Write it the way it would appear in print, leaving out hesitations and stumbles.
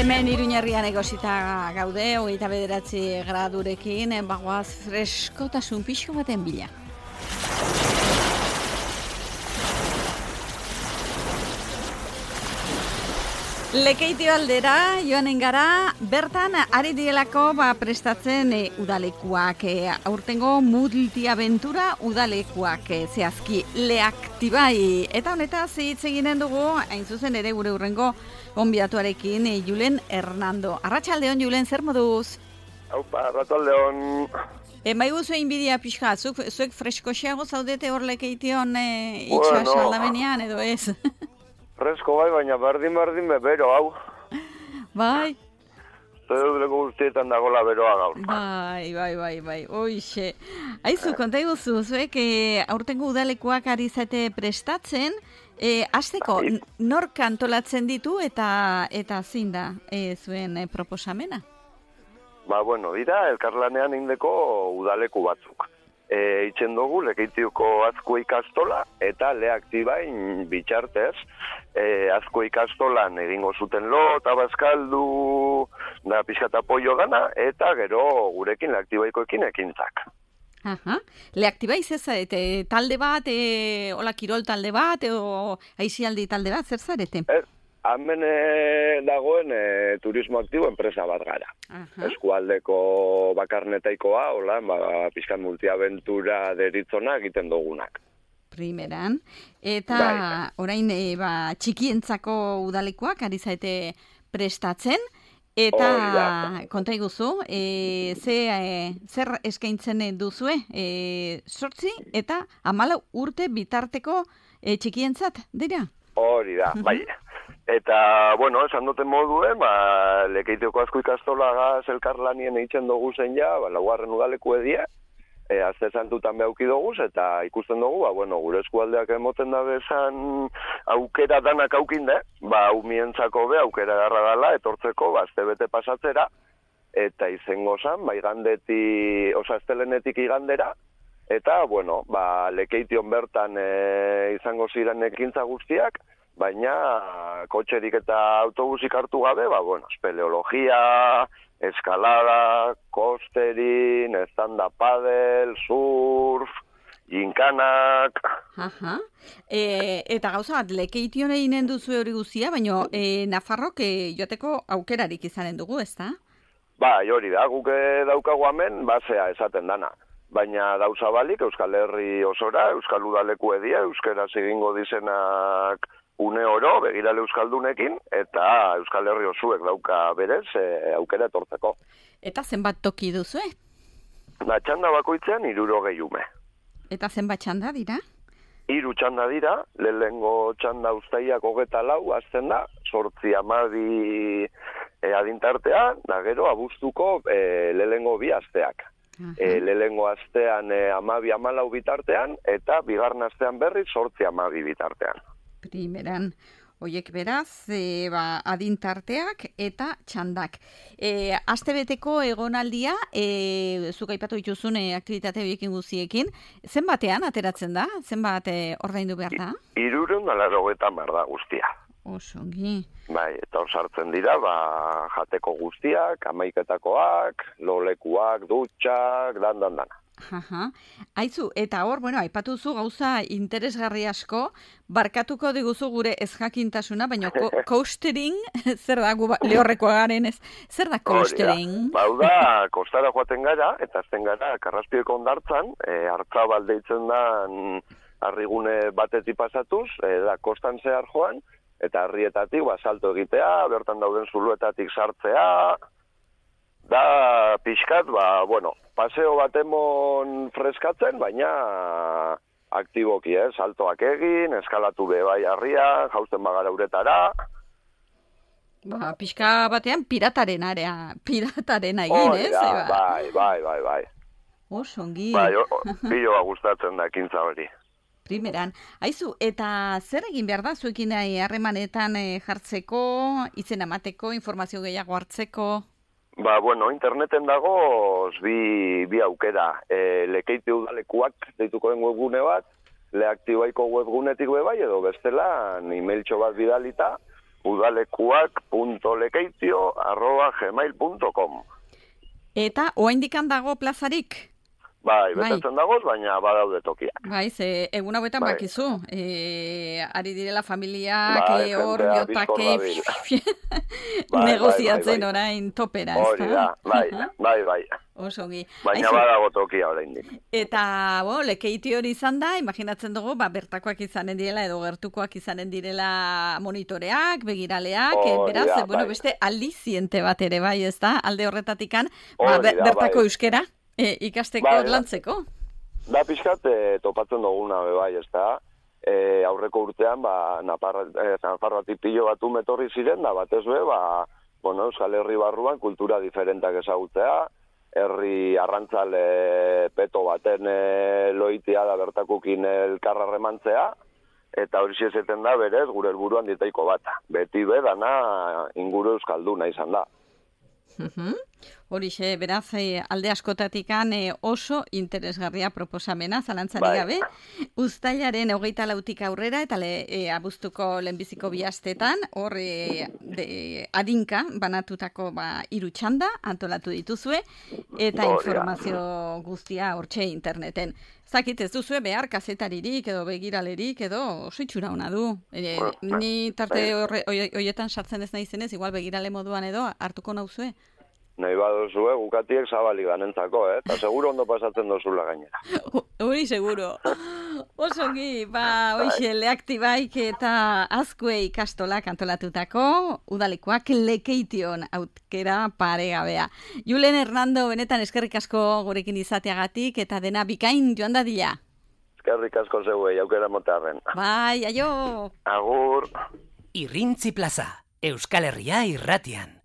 Hemen Iruñerrian egosita gaude, 29 gradurekin, bagoaz freskotasun pixko baten bila. Lekeitio aldera, joanen gara, bertan ari dielako prestatzen udalekuak, aurtengo multiaventura udalekuak zehazki Leaktibai. Eta honetaz hitz eginen dugu, hain zuzen ere gure hurrengo gonbidatuarekin, Julen Hernando. Arratsaldeon, Julen, zer moduz? Aupa, arratsaldeon. Maiguzu inbidia pixka, zuek freskoxeago zaudete hor Lekeition itxas aldamenean, edo ez? Fresko bai, baina berdin bero, hau. Bai. Zeduleko guztietan dagoela beroa gaur. Bai, oixe. Aizu, konta iguzu, zuek aurtengo udalekuak ari zate prestatzen, hasteko nork antolatzen ditu eta zein da zuen proposamena? Dira, elkarlanean indeko udaleku batzuk. Itzen dugu Lekeitioko Azko ikastola eta Leaktibain bitxartez Azko ikastolan egingo zuten lo eta bazkaldu da pixkat apoio gana eta gero gurekin Leaktibaikoekin ekintzak. Aha. Leaktibai zezarete, talde bat, hola kirol talde bat, o aizialdi talde bat, zer zarete? Hemen dagoen turismo aktibo enpresa bat gara. Eskualdeko bakarnetaikoa, hola, pixkan multiaventura deritzona egiten dugunak. Primeran. Eta orain txikientzako udalekoak ari zaite prestatzen. Eta konta iguzu, zer eskaintzen duzue? 8 eta 14 urte bitarteko txikientzat, dira? Hori da, bai. Eta, esan duten moduen, Lekeitioko Azko ikastolagaz elkarlanien eitzen dugu zen ja, laugarren udaleku edia, azte santutan behauki dugu, eta ikusten dugu, gure eskualdeak emoten da bezan aukera danak aukinde, umientzako be aukera garra dela, etortzeko, azte bete pasatzera, eta izango zan, astelenetik igandera, eta, Lekeition bertan izango ziren ekintza guztiak, baina kotxerik eta autobusik hartu gabe, espeleologia, eskalada, kosterin, stand-up paddle, surf, ginkanak. Aha. Eta gauza bat, Lekeition eginen duzu hori guztia, baina Nafarrok joateko aukerarik izanen dugu, ezta? Hori da, guk daukagu hemen, basea esaten dana. Baina dauza balik, Euskal Herri osora, Euskal Udaleku edia, Euskaraz egingo dizenak une oro, begirale Euskaldunekin, eta Euskal Herri osuek dauka berez aukera etortzeko. Eta zenbat toki duzu, Txanda bakoitzean 60 ume. Eta zenbat txanda dira? 3 txanda dira, lehenengo txanda uztaiak 24 azten da, 8-12 adintartean, da gero abuztuko lehenengo 2 asteak. Lehenengo astean 12-14 bitartean, eta bigarren astean berriz 8-12 bitartean. Primeran, oiek beraz, adintarteak eta txandak. Astebeteko egonaldia, zuk aipatu dituzun aktibitate horiekin guztiekin, zenbatean ateratzen da? Zenbat ordaindu behar da? 380 da guztia. Osongi. Eta hor sartzen dira, jateko guztiak, amaiketakoak, lolekuak, dutxak, dana. Aizu, eta hor, aipatuzu gauza interesgarri asko, barkatuko diguzu gure ezjakintasuna, baina coastering, zer da lehorrekoa garen ez? Zer da coastering? Da, kostara joaten gara, eta azten gara, Karraspioeko hondartzan, Hartzabal deitzen da harrigune batetik pasatuz, da kostan zehar joan, eta harrietatik salto egitea, bertan dauden zuluetatik sartzea, da pixkat, paseo bat emon freskatzen, baina aktiboki, saltoak egin, eskalatu bai harria, jausten bagara uretara. Pixka batean piratarena egin, ez? Bai. Osongi. Biloa gustatzen da ekintza hori. Primeran. Aizu, eta zer egin behar da zuekin harremanetan jartzeko, izen emateko, informazio gehiago hartzeko? Interneten dago bi aukera. Lekeitio udalekuak deituko den webgune bat, Leaktibaiko webgunetik bai, edo bestela, emailtxo bat bidalita, udalekuak.lekeitio@gmail.com. Eta oraindik dago plazarik? Bai, betetzen dagoz, baina badaude tokiak. Bai, ze egun hauetan bakizu. Ari direla familiak, hor jotake negoziatzen orain topera. Hori da, bai. Osongi. Baina badago tokia oraindik. Eta, Lekeitio hori izan da, imaginatzen dugu, bertakoak izanen direla edo gertukoak izanen direla monitoreak, begiraleak, beraz, beste aldiziente bat ere, bai, ez da, alde horretatikan, bertako euskera ikasteko lantzeko. Da pixkat topatzen duguna, bai, ez da, aurreko urtean, Nafarroatik pilo batu metorri ziren, da batez be, Euskal Herri barruan kultura diferentak ezagutzea, herri arrantzale peto baten loitia da bertakukin elkarra remantzea, eta hori zeten da berez gure helburuan ditaiko bat. Beti dana inguru euskalduna izan da. Horixe, beraz, alde askotatikan oso interesgarria proposamena, zalantzarik gabe. Uztailaren 24 aurrera, eta abuztuko lehenbiziko bihastetan, hor adinka banatutako 3 txanda antolatu dituzue, eta informazio guztia hortxe interneten. Zakit, ez duzue behar kazetaririk edo begiralerik edo oso itxura hona du. Ni tarte horietan sartzen ez naizenez, igual begirale moduan edo hartuko nauzue. Nahi baduzue, gukatiek zabalik ganentzako, eta seguro ondo pasatzen dozula gainera. Hori seguro. Osongi, hoxe, Leaktibaik eta Azkue ikastolak antolatutako udalekuak Lekeition aukera paregabea. Julen Hernando, benetan eskerrik asko gurekin izateagatik eta dena bikain joan dadila. Eskerrik asko zeuei, aukera motearren. Bai, aio! Agur! Irrintzi plaza, Euskal Herria irratian.